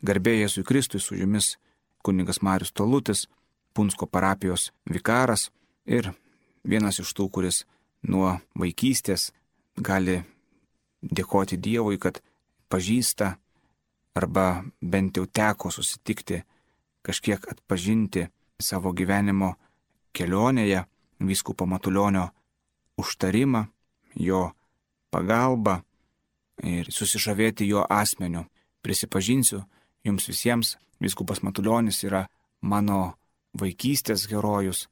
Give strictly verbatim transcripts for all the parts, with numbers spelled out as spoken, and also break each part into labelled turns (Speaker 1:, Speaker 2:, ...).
Speaker 1: Garbė Jėzui Kristui, su jumis kunigas Marius Tolutis, Punsko parapijos vikaras ir vienas iš tų, kuris nuo vaikystės gali dėkoti Dievui, kad pažįsta arba bent jau teko susitikti, kažkiek atpažinti savo gyvenimo kelionėje vyskupo Matulionio užtarimą, jo pagalbą ir susižavėti jo asmeniu. Prisipažinsiu jums visiems, vyskupas Matulionis yra mano vaikystės herojus.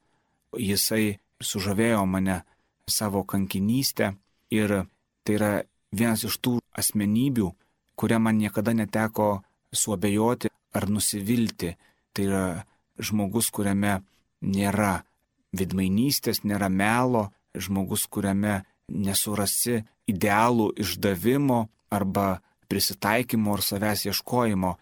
Speaker 1: Jisai sužavėjo mane savo kankinystę ir tai yra vienas iš tų asmenybių, kuria man niekada neteko suabejoti ar nusivilti. Tai yra žmogus, kuriame nėra veidmainystės, nėra melo, žmogus, kuriame nesurasi idealų išdavimo arba prisitaikymo ar savęs ieškojimo.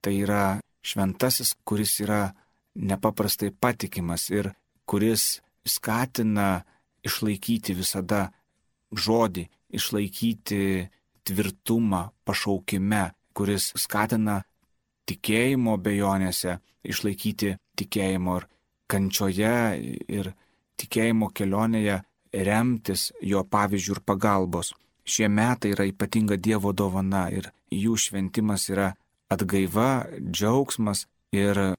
Speaker 1: Tai yra šventasis, kuris yra nepaprastai patikimas ir kuris skatina išlaikyti visada žodį, išlaikyti tvirtumą pašaukime, kuris skatina tikėjimo bejonėse, išlaikyti tikėjimo ir kančioje ir tikėjimo kelionėje remtis jo pavyzdžių ir pagalbos. Šie metai yra ypatinga Dievo dovana ir jų šventimas yra atgaiva, džiaugsmas ir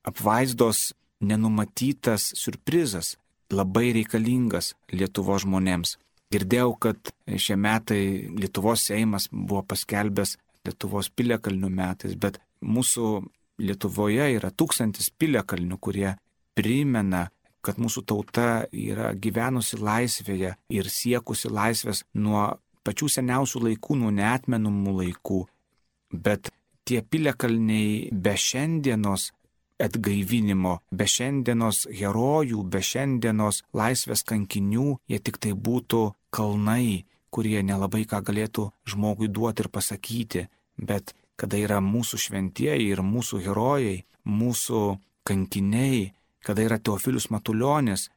Speaker 1: apvaizdos nenumatytas siurprizas, labai reikalingas Lietuvos žmonėms. Girdėjau, kad šie metai Lietuvos Seimas buvo paskelbęs Lietuvos piliakalnių metais, bet mūsų Lietuvoje yra tūkstantis piliakalnių, kurie primena, kad mūsų tauta yra gyvenusi laisvėje ir siekusi laisvės nuo pačių seniausių laikų, nuo neatmenamų laikų. Bet tie piliakalniai be šiandienos atgaivinimo, be šiandienos herojų, be šiandienos laisvės kankinių, jie tik tai būtų kalnai, kurie nelabai ką galėtų žmogui duoti ir pasakyti. Bet kada yra mūsų šventieji ir mūsų herojai, mūsų kankiniai, kada yra Teofilius Matulionis,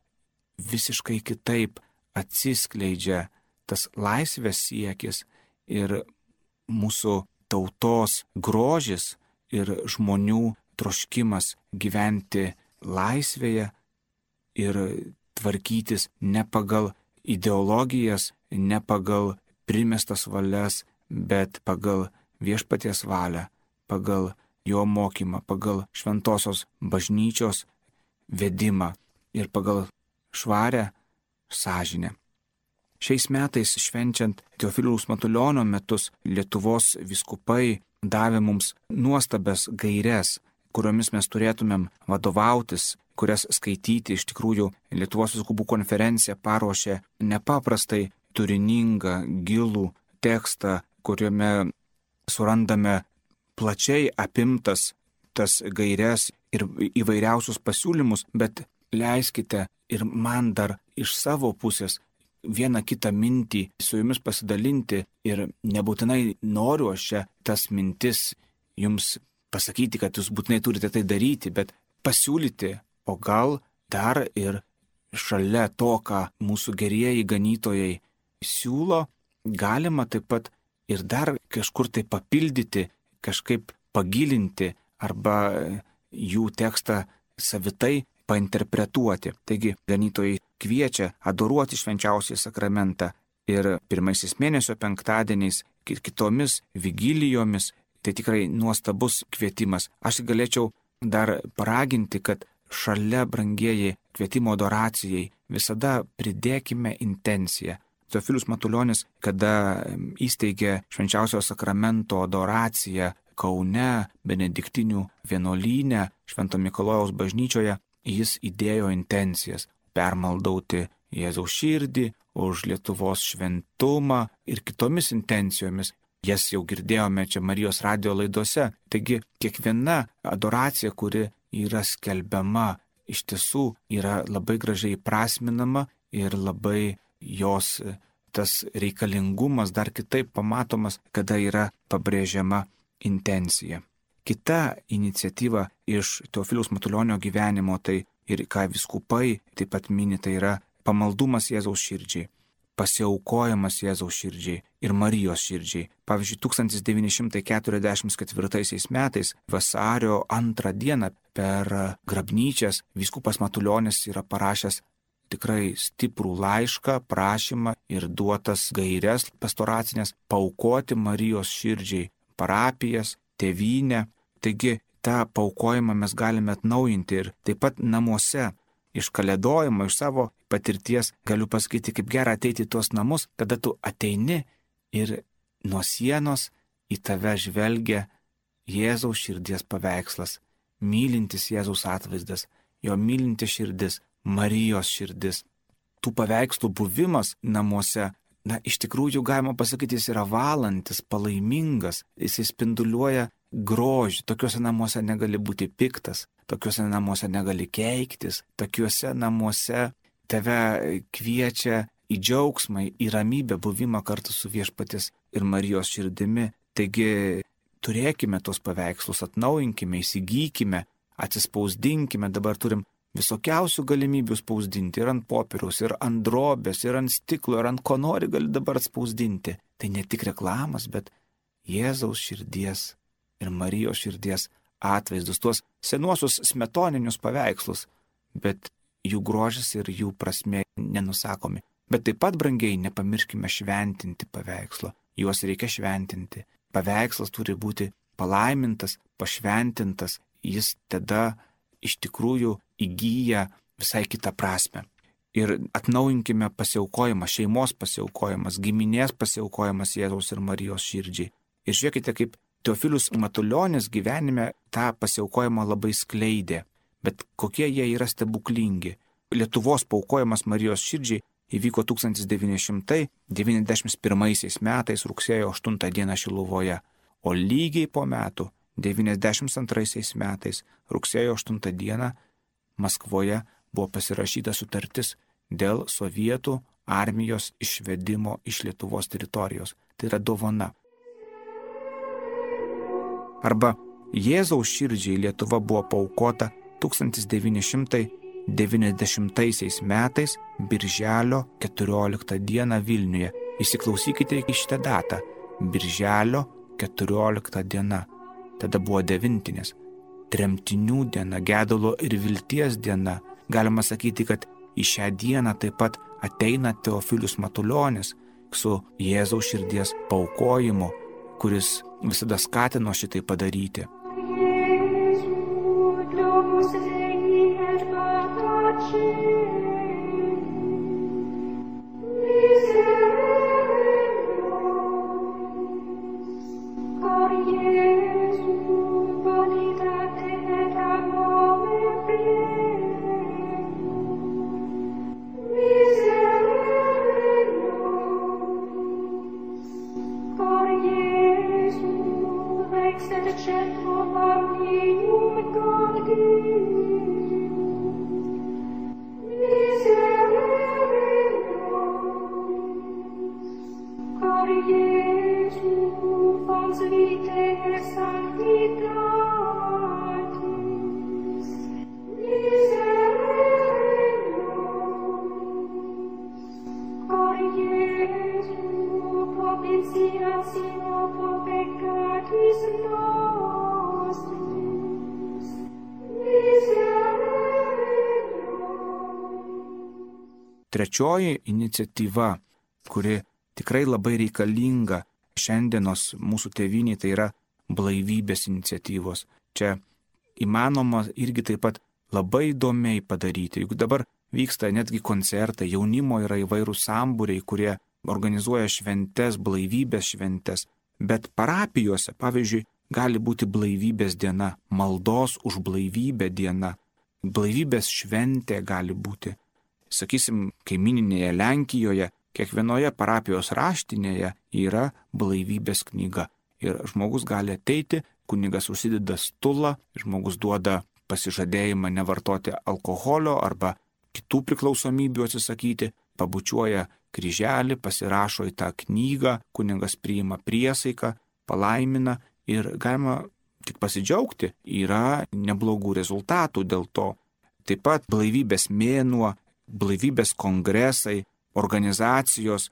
Speaker 1: visiškai kitaip atsiskleidžia tas laisvės siekis ir mūsų tautos grožis ir žmonių troškimas gyventi laisvėje ir tvarkytis ne pagal ideologijas, ne pagal primestas valias, bet pagal viešpaties valią, pagal jo mokymą, pagal šventosios bažnyčios vedimą ir pagal švarę sąžinę. Šiais metais, švenčiant Teofiliaus Matulionio metus, Lietuvos vyskupai davė mums nuostabias gaires, kuriomis mes turėtumėm vadovautis, kurias skaityti. Iš tikrųjų, Lietuvos vyskupų konferencija paruošė nepaprastai turiningą, gilų tekstą, kuriame surandame plačiai apimtas tas gaires ir įvairiausius pasiūlymus, bet leiskite ir man dar iš savo pusės vieną kitą mintį su jumis pasidalinti ir nebūtinai noriu aš čia tas mintis jums pasakyti, kad jūs būtinai turite tai daryti, bet pasiūlyti, o gal dar ir šalia to, ką mūsų gerieji ganytojai siūlo, galima taip pat ir dar kažkur tai papildyti, kažkaip pagilinti arba jų tekstą savitai painterpretuoti. Taigi ganytojai kviečia adoruoti švenčiausiąjį sakramentą ir pirmaisiais mėnesio penktadieniais ir kitomis vigilijomis. Tai tikrai nuostabus kvietimas. Aš galėčiau dar paraginti, kad šalia, brangieji, kvietimo adoracijai visada pridėkime intenciją. Teofilius Matulionis, kada įsteigė švenčiausio sakramento adoraciją Kaune, Benediktinių vienuolyne, Švento Mikalojaus bažnyčioje, jis įdėjo intencijas permaldauti Jėzaus širdį, už Lietuvos šventumą ir kitomis intencijomis. Jas jau girdėjome čia Marijos radijo laidose. Taigi kiekviena adoracija, kuri yra skelbiama, iš tiesų yra labai gražiai prasminama ir labai jos tas reikalingumas dar kitaip pamatomas, kada yra pabrėžiama intencija. Kita iniciatyva iš Teofiliaus Matulionio gyvenimo, tai ir ką vyskupai taip pat mini, tai yra pamaldumas Jėzaus širdžiai. pasiaukojimas Jėzaus širdžiai ir Marijos širdžiai. Pavyzdžiui, tūkstantis devyni šimtai keturiasdešimt ketvirtaisiais metais vasario antrą dieną per grabnyčias vyskupas Matulionis yra parašęs tikrai stiprų laišką, prašymą ir duotas gairias pastoracinės paaukoti Marijos širdžiai parapijas, tėvynę. Taigi tą paaukojimą mes galime atnaujinti ir taip pat namuose. Iš kalėdojimo, iš savo patirties galiu pasakyti, kaip gera ateiti į tuos namus, kada tu ateini ir nuo sienos į tave žvelgia Jėzaus širdies paveikslas, mylintis Jėzaus atvaizdas, jo mylinti širdis, Marijos širdis. Tų paveikslų buvimas namuose, na, iš tikrųjų galima pasakyti, jis yra valantis, palaimingas, jis spinduliuoja grožį. Tokiuose namuose negali būti piktas, tokiuose namuose negali keiktis, tokiuose namuose tave kviečia į džiaugsmą, į ramybę buvimą kartu su Viešpaties ir Marijos širdimi. Taigi turėkime tos paveikslus, atnaujinkime, įsigykime, atsispausdinkime. Dabar turim visokiausių galimybių spausdinti ir ant popieriaus, ir ant drobės, ir ant stiklo, ir ant ko nori gali dabar spausdinti. Tai ne tik reklamas, bet Jėzaus širdies ir Marijos širdies atvaizdus, tuos senuosius smetoninius paveikslus, bet jų grožis ir jų prasmė nenusakomi. Bet taip pat, brangiai, nepamirškime šventinti paveikslo. Juos reikia šventinti. Paveikslas turi būti palaimintas, pašventintas. Jis tada iš tikrųjų įgyja visai kitą prasme. Ir atnaujinkime pasiaukojimą, šeimos pasiaukojimas, giminės pasiaukojimas Jėzaus ir Marijos širdžiai. Ir žiūrėkite, kaip Teofilius Matulionis gyvenime tą pasiaukojimą labai skleidė. Bet kokie jie yra stebuklingi. Lietuvos paaukojimas Marijos širdžiai įvyko tūkstantis devyni šimtai devyniasdešimt pirmaisiais metais rugsėjo aštuntą dieną Šiluvoje, o lygiai po metų devyniasdešimt antraisiais metais rugsėjo aštuntą dieną Maskvoje buvo pasirašyta sutartis dėl sovietų armijos išvedimo iš Lietuvos teritorijos. Tai yra dovana. Arba Jėzaus širdžiai Lietuva buvo paaukota tūkstantis devyni šimtai devyniasdešimtaisiais metais birželio keturioliktą dieną Vilniuje. Įsiklausykite į šitą datą. Birželio keturiolikta diena. Tada buvo devintinės. Tremtinių diena, gedulo ir vilties diena. Galima sakyti, kad į šią dieną taip pat ateina Teofilius Matulionis su Jėzaus širdies paaukojimu, kuris visada skatino šitai padaryti. Trečioji iniciatyva, kuri tikrai labai reikalinga šiandienos mūsų tėvynėje, tai yra blaivybės iniciatyvos. Čia įmanoma irgi taip pat labai įdomiai padaryti. Juk dabar vyksta netgi koncertai, jaunimo yra įvairūs sambūriai, kurie organizuoja šventes, blaivybės šventes. Bet parapijose, pavyzdžiui, gali būti blaivybės diena, maldos už blaivybę diena, blaivybės šventė gali būti. Sakysim, kaimininėje Lenkijoje, kiekvienoje parapijos raštinėje yra blaivybės knyga. Ir žmogus gali ateiti, kunigas užsideda stulą, žmogus duoda pasižadėjimą nevartoti alkoholio arba kitų priklausomybių atsisakyti, pabučiuoja kryželį, pasirašo į tą knygą, kunigas priima priesaiką, palaimina ir galima tik pasidžiaugti, yra neblogų rezultatų dėl to. Taip pat blaivybės mėnuo, blaivybės kongresai, organizacijos,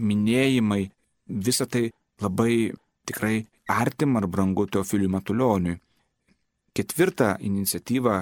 Speaker 1: minėjimai, visa tai labai tikrai artima ar brangu Teofiliui Matulioniui. Ketvirtą iniciatyvą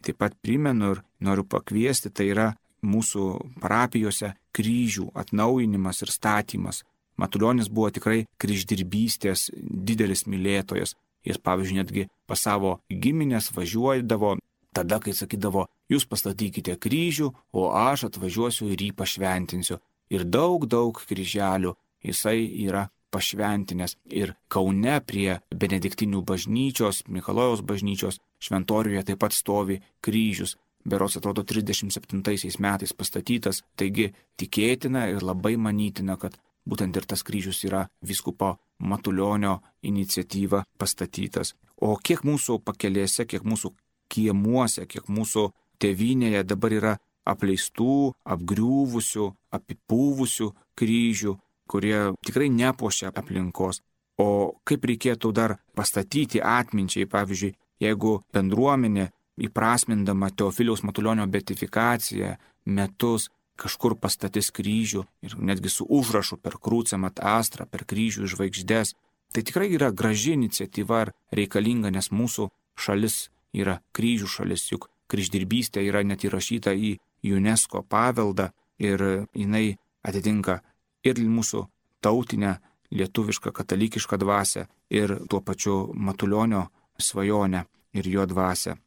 Speaker 1: taip pat primenu ir noriu pakviesti, tai yra mūsų parapijose kryžių atnaujinimas ir statymas. Matulionis buvo tikrai kryždirbystės didelis mylėtojas. Jis, pavyzdžiui, netgi pas savo giminės važiuodavo tada, kai sakydavo, jūs pastatykite kryžių, o aš atvažiuosiu ir jį pašventinsiu. Ir daug, daug kryželių jisai yra pašventinęs. Ir Kaune prie Benediktinių bažnyčios, Mikalojaus bažnyčios šventoriuje taip pat stovi kryžius. Berods atrodo trisdešimt septintaisiais metais pastatytas. Taigi tikėtina ir labai manytina, kad būtent ir tas kryžius yra vyskupo Matulionio iniciatyva pastatytas. O kiek mūsų pakelėse, kiek mūsų kiemuose, kiek mūsų tėvynėje dabar yra apleistų, apgriuvusių, apipūvusių kryžių, kurie tikrai nepuošia aplinkos. O kaip reikėtų dar pastatyti atminčiai, pavyzdžiui, jeigu bendruomenė įprasmindama Teofiliaus Matulionio beatifikaciją metus kažkur pastatys kryžių ir netgi su užrašu per Crucem ad Astra, per kryžių žvaigždės, tai tikrai yra graži iniciatyva ir reikalinga, nes mūsų šalis yra kryžių šalis, juk kryždirbystė yra net įrašyta į UNESCO paveldą ir jinai atitinka ir mūsų tautinę, lietuvišką, katalikišką dvasią ir tuo pačiu Matulionio svajonę ir jo dvasią.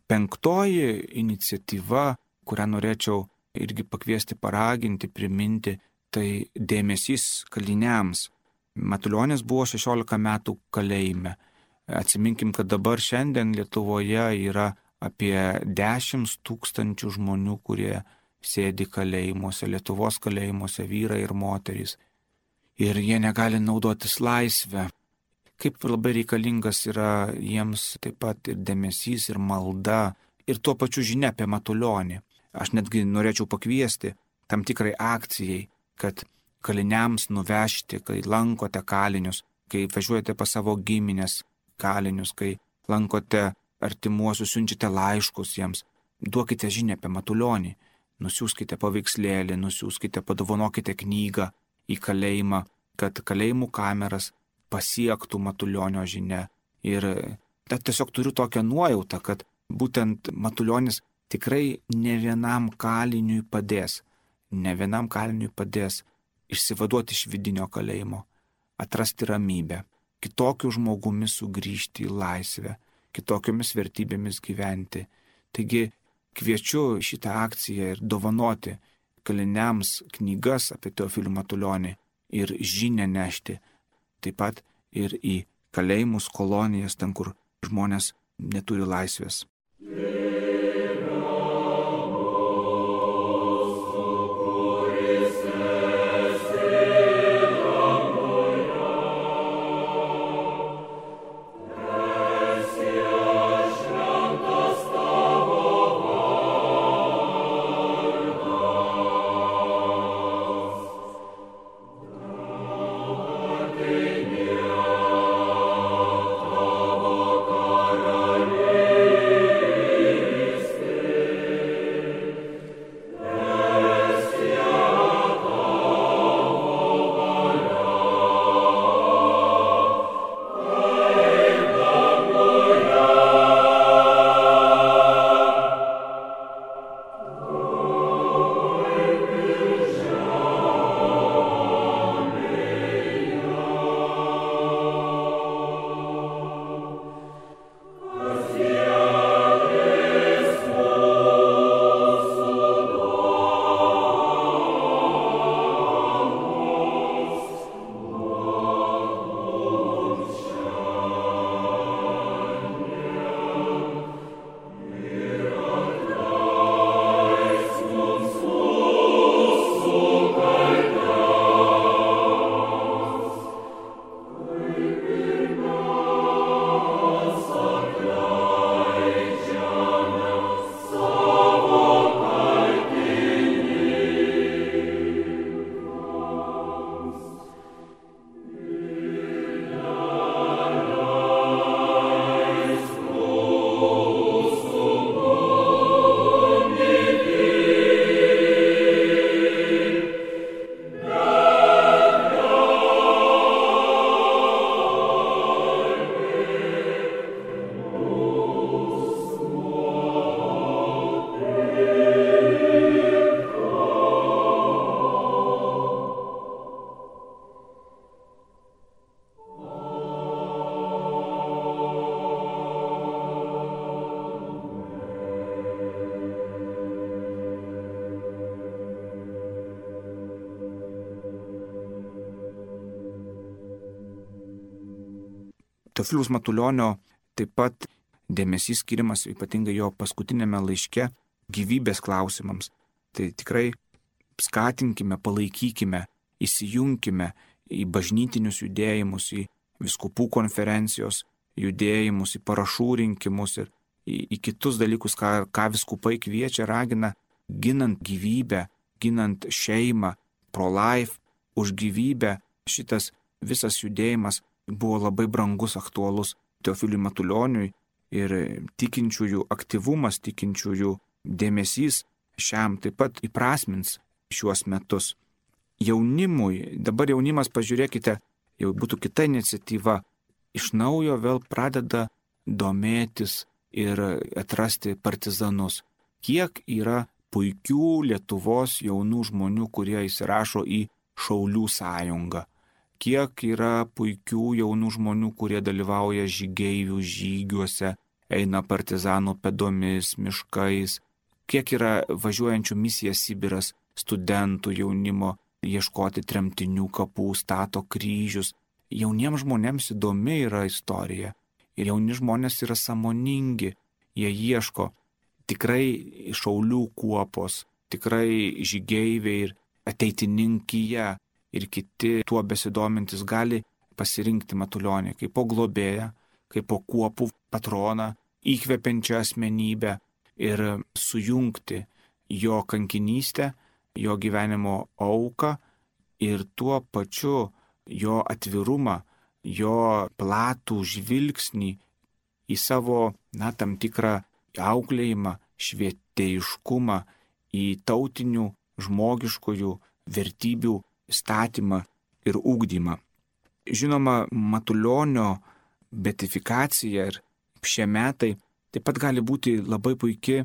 Speaker 1: Penktoji iniciatyva, kurią norėčiau irgi pakviesti, paraginti, priminti, tai dėmesys kaliniams. Matulionis buvo šešiolika metų kalėjime. Atsiminkim, kad dabar šiandien Lietuvoje yra apie dešimt tūkstančių žmonių, kurie sėdi kalėjimuose, Lietuvos kalėjimuose, vyrai ir moterys. Ir jie negali naudotis laisvę. Kaip labai reikalingas yra jiems taip pat ir dėmesys, ir malda, ir tuo pačiu žinia apie Matulionį. Aš netgi norėčiau pakviesti tam tikrai akcijai, kad kaliniams nuvežti, kai lankote kalinius, kai važiuojate pas savo giminės kalinius, kai lankote artimuosius, siunčiate laiškus jiems, duokite žinią apie Matulionį, nusiųskite paveikslėlį, nusiųskite, padovanokite knygą į kalėjimą, kad kalėjimų kameras pasiektų Matulionio žinia. Ir tiesiog turiu tokią nuojautą, kad būtent Matulionis tikrai ne vienam kaliniui padės, ne vienam kaliniui padės išsivaduoti iš vidinio kalėjimo, atrasti ramybę, kitokiu žmogumi sugrįžti į laisvę, kitokiomis vertybėmis gyventi. Taigi kviečiu šitą akciją ir dovanoti kaliniams knygas apie Teofilių Matulionį ir žinią nešti, taip pat ir į kalėjimus, kolonijas, ten, kur žmonės neturi laisvės.
Speaker 2: Amen.
Speaker 1: Teofiliaus Matulionio taip pat dėmesys skiriamas ypatingai jo paskutinėme laiške gyvybės klausimams. Tai tikrai skatinkime, palaikykime, įsijunkime į bažnytinius judėjimus, į vyskupų konferencijos judėjimus, į parašų rinkimus ir į, į kitus dalykus, ką, ką vyskupai kviečia, ragina, ginant gyvybę, ginant šeimą, pro-life, už gyvybę. Šitas visas judėjimas buvo labai brangus, aktualus Teofiliui Matulioniui ir tikinčiųjų aktyvumas, tikinčiųjų dėmesys šiam taip pat įprasmins šiuos metus. Jaunimui, dabar jaunimas, pažiūrėkite, jau būtų kita iniciatyva, iš naujo vėl pradeda domėtis ir atrasti partizanus. Kiek yra puikių Lietuvos jaunų žmonių, kurie įsirašo į Šaulių sąjungą. Kiek yra puikių jaunų žmonių, kurie dalyvauja žygeivių žygiuose, eina partizanų pėdomis, miškais. Kiek yra važiuojančių misiją Sibiras studentų jaunimo, ieškoti tremtinių kapų, stato kryžius. Jauniems žmonėms įdomi yra istorija. Ir jauni žmonės yra sąmoningi. Jie ieško tikrai Šaulių kuopos, tikrai žygeiviai ir ateitininkija ir kiti tuo besidomintis gali pasirinkti Matulionį kaip po globėją, kaip po kuopų patroną, įkvepiančią asmenybę ir sujungti jo kankinystę, jo gyvenimo auką ir tuo pačiu jo atvirumą, jo platų žvilgsnį į savo, na, tam tikrą auklėjimą, švietėjiškumą, į tautinių, žmogiškųjų vertybių statymą ir ugdymą. Žinoma, Matulionio beatifikacija ir šie metai taip pat gali būti labai puikia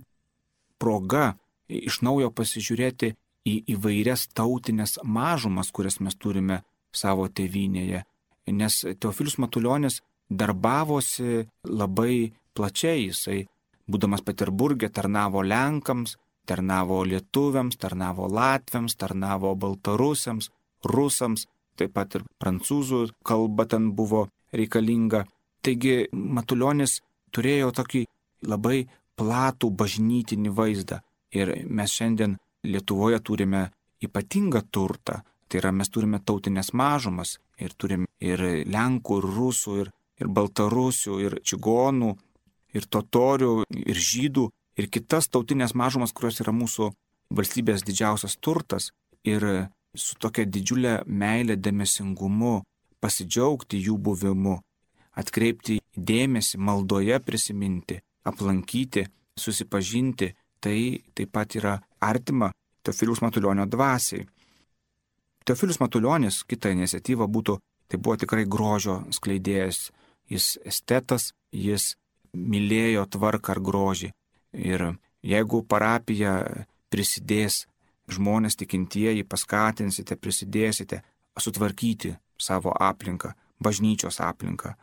Speaker 1: proga iš naujo pasižiūrėti į įvairias tautinės mažumas, kurias mes turime savo tėvynėje. Nes Teofilius Matulionis darbavosi labai plačiai. Jisai, būdamas Peterburge, tarnavo Lenkams, tarnavo lietuviams, tarnavo latviams, tarnavo baltarusiams, rusams, taip pat ir prancūzų kalba ten buvo reikalinga. Taigi Matulionis turėjo tokį labai platų bažnytinį vaizdą. Ir mes šiandien Lietuvoje turime ypatingą turtą. Tai yra, mes turime tautinės mažumas ir turime ir Lenkų, ir Rusų, ir, ir Baltarusių, ir čigonų, ir totorių, ir žydų, ir kitas tautinės mažumas, kurios yra mūsų valstybės didžiausias turtas. Ir su tokia didžiulė meilė, dėmesingumu pasidžiaugti jų buvimu, atkreipti dėmesį, maldoje prisiminti, aplankyti, susipažinti, tai taip pat yra artima Teofiliaus Matulionio dvasiai. Teofilius Matulionis, kita iniciatyva būtų, tai buvo tikrai grožio skleidėjas. Jis estetas, jis mylėjo tvarką ar grožį. Ir jeigu parapija prisidės, žmonės tikintieji, paskatinsite, prisidėsite sutvarkyti savo aplinką, bažnyčios aplinką,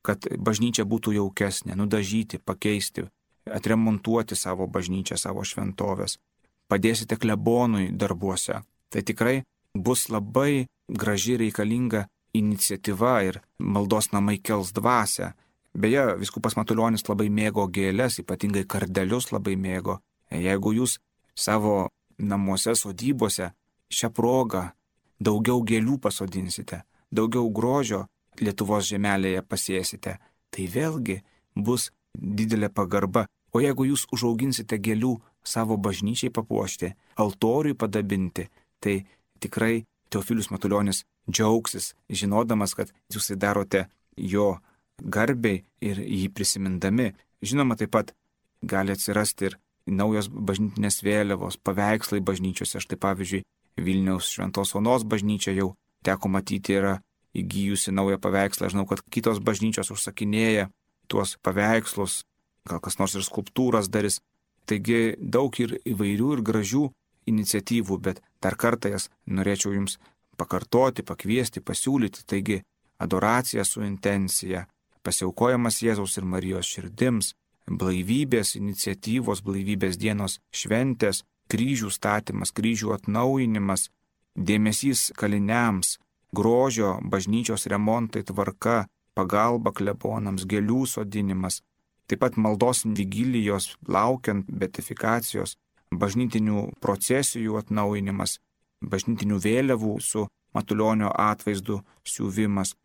Speaker 1: kad bažnyčia būtų jaukesnė, nudažyti, pakeisti, atremontuoti savo bažnyčią, savo šventovės, padėsite klebonui darbuose. Tai tikrai bus labai graži reikalinga iniciatyva ir maldos namai kels dvasią. Beje, vyskupas Matulionis labai mėgo gėles, ypatingai kardelius labai mėgo. Jeigu jūs savo namuose, sodybose šią progą daugiau gėlių pasodinsite, daugiau grožio Lietuvos žemelėje pasėsite, tai vėlgi bus didelė pagarba. O jeigu jūs užauginsite gėlių savo bažnyčiai papuošti, altoriui padabinti, tai tikrai Teofilius Matulionis džiaugsis, žinodamas, kad jūs tai darote jo garbiai ir jį prisimindami. Žinoma, taip pat gali atsirasti ir naujos bažnytinės vėliavos, paveikslai bažnyčiose. Štai pavyzdžiui, Vilniaus Šventos Onos bažnyčia jau teko matyti yra įgyjusi naują paveikslą. Žinau, kad kitos bažnyčios užsakinėja tuos paveikslus, gal kas nors ir skulptūras darys. Taigi daug ir įvairių ir gražių iniciatyvų, bet dar kartą jas norėčiau jums pakartoti, pakviesti, pasiūlyti. Taigi adoracija su intencija, pasiaukojamas Jėzaus ir Marijos širdims, blaivybės iniciatyvos, blaivybės dienos šventės, kryžių statymas, kryžių atnaujinimas, dėmesys kaliniams, grožio, bažnyčios remontai, tvarka, pagalba klebonams, gėlių sodinimas, taip pat maldos vigilijos laukiant beatifikacijos, bažnytinių procesijų atnaujinimas, bažnytinių vėliavų su Matulionio atvaizdu siuvimas,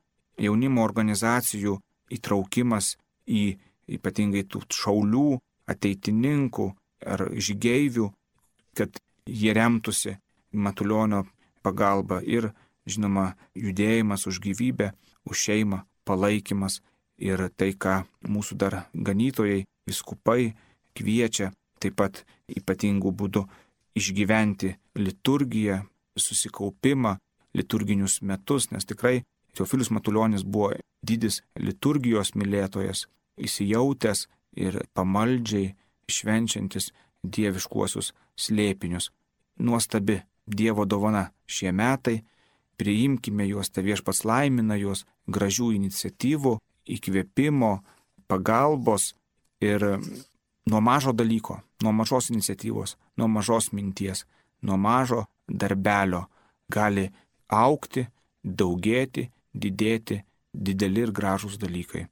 Speaker 1: jaunimo organizacijų įtraukimas į ypatingai tų šaulių, ateitininkų ar žygeivių, kad jie remtųsi Matulionio pagalba ir, žinoma, judėjimas už gyvybę, už šeimą, palaikymas ir tai, ką mūsų dar ganytojai, viskupai kviečia taip pat ypatingų būdų išgyventi liturgiją, susikaupimą, liturginius metus, nes tikrai Teofilius Matulionis buvo didis liturgijos mylėtojas, įsijautęs ir pamaldžiai švenčiantis dieviškuosius slėpinius. Nuostabi Dievo dovana šie metai, priimkime juos, te Viešpats laimina juos, gražių iniciatyvų, įkvėpimo, pagalbos ir nuo mažo dalyko, nuo mažos iniciatyvos, nuo mažos minties, nuo mažo darbelio gali augti, daugėti, didėti dideli ir gražūs dalykai.